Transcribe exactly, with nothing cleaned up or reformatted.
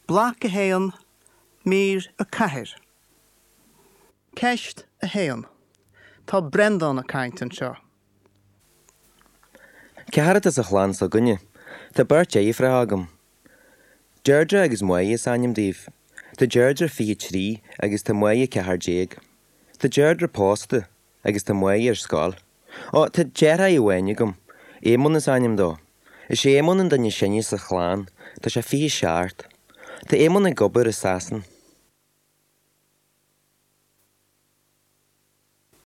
Bloc a haon, mír a ceathair. Ceist a haon. Tá Breandán ag caint anseo. Ceathrar atá sa chlann s'againne, tá beirt deirfiúracha agam. Deirdre agus Máire is ainm dóibh. Tá Deirdre fiche trí agus tá Máire ceathair déag. Tá Deirdre pósta agus tá Máire ar scoil. Ó tá deartháir amháin agam, Éamonn is ainm dó. Is é Éamonn an duine is sine sa chlann, tá sé fiche seacht. Tá Éamonn ag obair i Sasana.